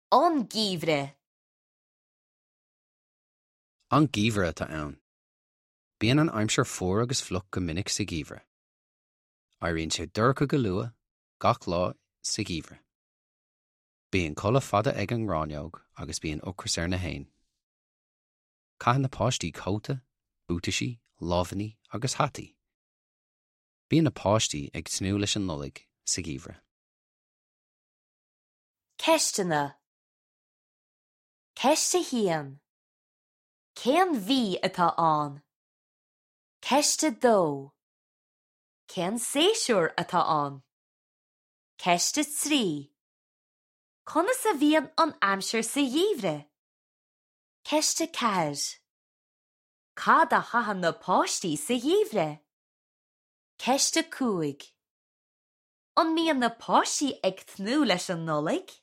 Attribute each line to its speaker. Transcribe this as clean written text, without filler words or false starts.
Speaker 1: An geimhreadh.
Speaker 2: An geimhreadh atá ann. Bíonn an aimsir fuar agus fliuch go minic sa gheimhreadh. Éiríonn sé dorcha go luath gach lá sa gheimhreadh. Bíonn codladh fada ag an ngráinneog agus bíonn ocras ar na héin. Caitheann na páistí cóta, buataisí, lámhainní agus hataí. Bíonn na páistí ag tnúth leis an Nollaig sa gheimhreadh.
Speaker 1: Ceisteanna Ceist 1. Cén mhí atá ann? Ceist 2. Cén séasúr atá ann? Ceist 3. Conas a bhíonn an aimsir sa gheimhreadh? Ceist 4. Cad a chaitheann na páistí sa gheimhreadh? Ceist 5. An mbíonn na páistí ag tnúth leis an Nollaig?